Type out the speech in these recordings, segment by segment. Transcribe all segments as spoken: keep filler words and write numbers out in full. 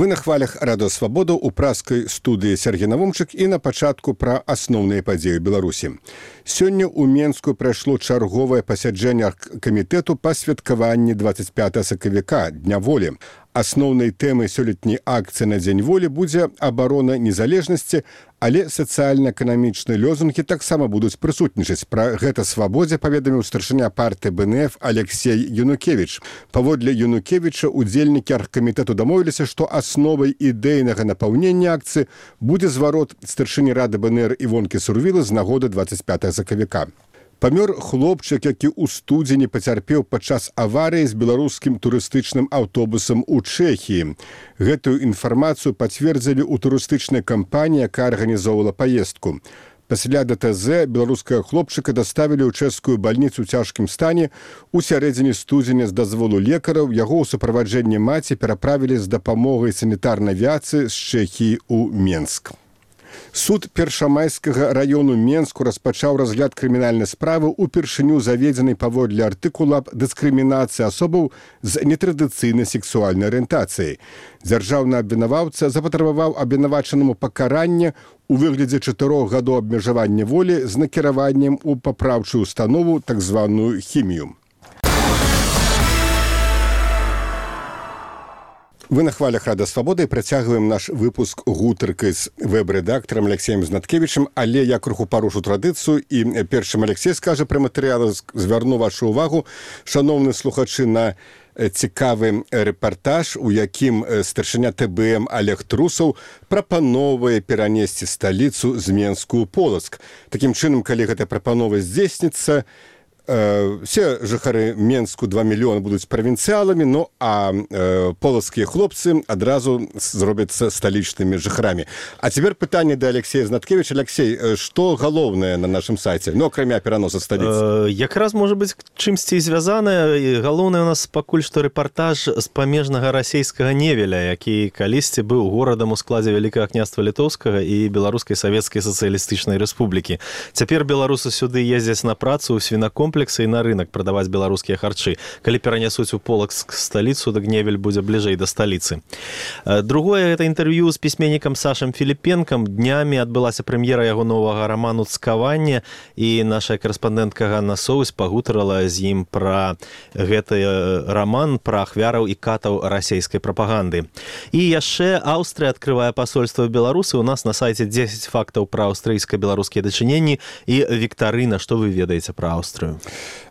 Вы на хвалях Радио Свабода ў праскай студыі Сергей Навумчык і на пачатку пра асноўныя падзеі Беларусі. Сёння ў Менску прайшло чарговае пасяджэнне камітэту па святкаванні двадцать пятого сакавіка, Дня волі. Асноўнай тэмай сёлетняй акцыі на Дзень волі будзе абарона незалежнасці, але сацыяльна-эканамічныя лёзунгі таксама будуць прысутнічаць. Пра гэта Свабодзе паведаміў старшыня партыі бэ эн эф Алексей Янукевіч. Паводле Янукевіча, удзельнікі аргкамітэту дамовіліся, што асновай ідэйнага напаўнення акцыі будзе зварот старшыні рады бэ эн эр Івонкі Сурвілы з нагоды двадцать пятого сакавіка. Памёр хлопчык, які ў студзені пацярпеў падчас аварыі з беларускім турыстычным аўтобусам у Чэхіі. Гэтую інфармацыю пацвердзілі ў турыстычнай кампаніі, якая арганізоўвала паездку. Пасля дэ тэ зэ беларускага хлопчыка даставілі ў чэшскую бальніцу ў цяжкім стане. У сярэдзіне студзеня з дазволу лекараў яго ў суправаджэнні маці пераправілі з дапамогай санітарнай авіяцыі з Чэхіі ў Менск. Суд Першамайскага раёну Менску распачаў разгляд крымінальнай справы упершыню заведзенай паводле артыкула аб дыскрымінацыі асобаў з нетрадыцыйнай сексуальнай арыентацыяй. Дзяржаўны абвінаваўца запатрабаваў абвінавачанаму пакаранне у выглядзе чатырох гадоў абмежавання волі з накіраваннем у папраўчую установу, так званую хімію. Вы на хвалях Радио Свабода і працягваем наш выпуск гутаркай з вэб-рэдактарам Алексеем Знаткевічем, але я крыху парушу традыцыю і першым Алексей скажа пра матэрыялы, звярну вашу увагу, шаноўны слухачы, на цікавы рэпартаж, у якім старшыня тэ бэ эм Олег Трусаў прапановае перанесці сталіцу з Менску ў Полацк. Такім чынам, калі гэта прапанова здзейсніцца, все жыхары Менску два мільёны будуць правінцыяламі, ну а э, полацкія хлопцы адразу зробяцца сталічнымі жыхарамі. А цяпер пытанне да Алексея Знаткевіча. Алексей, што галоўнае на нашым сайце? Ну, акрамя пераноса сталіцы. Э, якраз, можа быць, чымсьці звязанае. Галоўнае у нас пакуль што рэпартаж з памежнага расейскага Невеля, які калісьці быў горадам у складзе Вялікага княства Літоўскага і Беларускай Савецкай Сацыялістычнай Рэспублікі. Цяпер беларусы сюды ездзяць на працу ў свінакомплекс і на рынок прадаваць беларускія харчы. Калі перанясуць у Полацк сталіцу, дык Невель будзе бліжэй да сталіцы. Другое, гэта інтэрв'ю з пісьменнікам Сашам Філіпенкам. Днямі адбылася прэм'ера яго новага раману «Цкаванне», і наша карэспандэнтка Ганна Соўсь пагутарала з ім пра гэты раман, пра ахвяраў і катаў расейскай прапаганды. І яшчэ Аўстрыя адкрывае пасольства Беларусы. У нас на сайце дзесяць фактаў пра аўстрыйска-беларускія дачыненні і віктарына, што вы ведаеце пра Аўстрыю.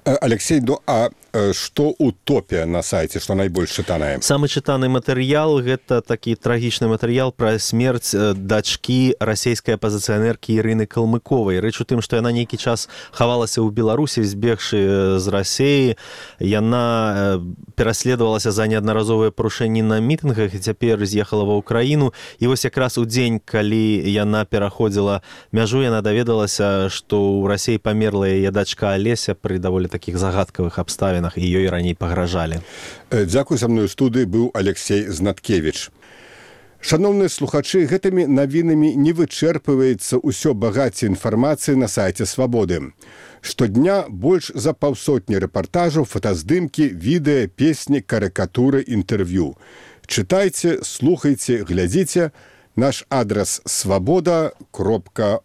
Алексей, ну а што утопія на сайце, што найбольш чытанае? Самы чытаны матэрыял — гэта такі трагічны матэрыял пра смерць дачкі расейскай апазіцыянеркі Ірыны Калмыковай. Рэч у тым, што яна нейкі час хавалася ў Беларусі, збегшы з Расеі. Яна пераследавалася за неаднаразовыя парушэнні на мітынгах і цяпер з'ехала ва ўкраіну. І вось якраз у дзень, калі яна пераходзіла мяжу, яна даведалася, што ў Расеі памерла яе дачка Алеся пры даволі такіх загадкавых абставінах, і ёй раней пагражалі. Дзякуй, са мной у студыі быў Алексей Знаткевіч. Шаноўныя слухачы, гэтымі навінамі не вычэрпваецца ўсё багацце інфармацыі на сайце Свабоды. Штодня больш за паўсотні рэпартажаў, фотаздымкі, відэа, песні, карыкатуры, інтэрв'ю. Чытайце, слухайце, глядзіце. Наш адрас свабода кропка